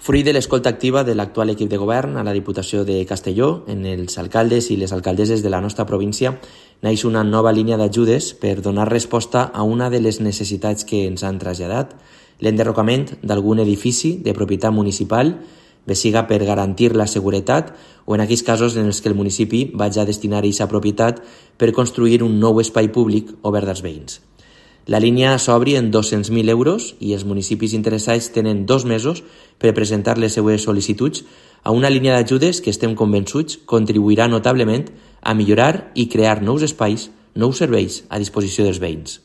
Fruit de l'escolta activa de l'actual equip de govern a la Diputació de Castelló, en els alcaldes i les alcaldesses de la nostra província, naix una nova línia d'ajudes per donar resposta a una de les necessitats que ens han traslladat, l'enderrocament d'algun edifici de propietat municipal, bé siga per garantir la seguretat o en aquells casos en els que el municipi vagi a destinar aquesta propietat per construir un nou espai públic obert als veïns. La línia s'obri en 200.000 euros i els municipis interessats tenen 2 mesos per presentar les seues sol·licituds a una línia d'ajudes que estem convençuts contribuirà notablement a millorar i crear nous espais, nous serveis a disposició dels veïns.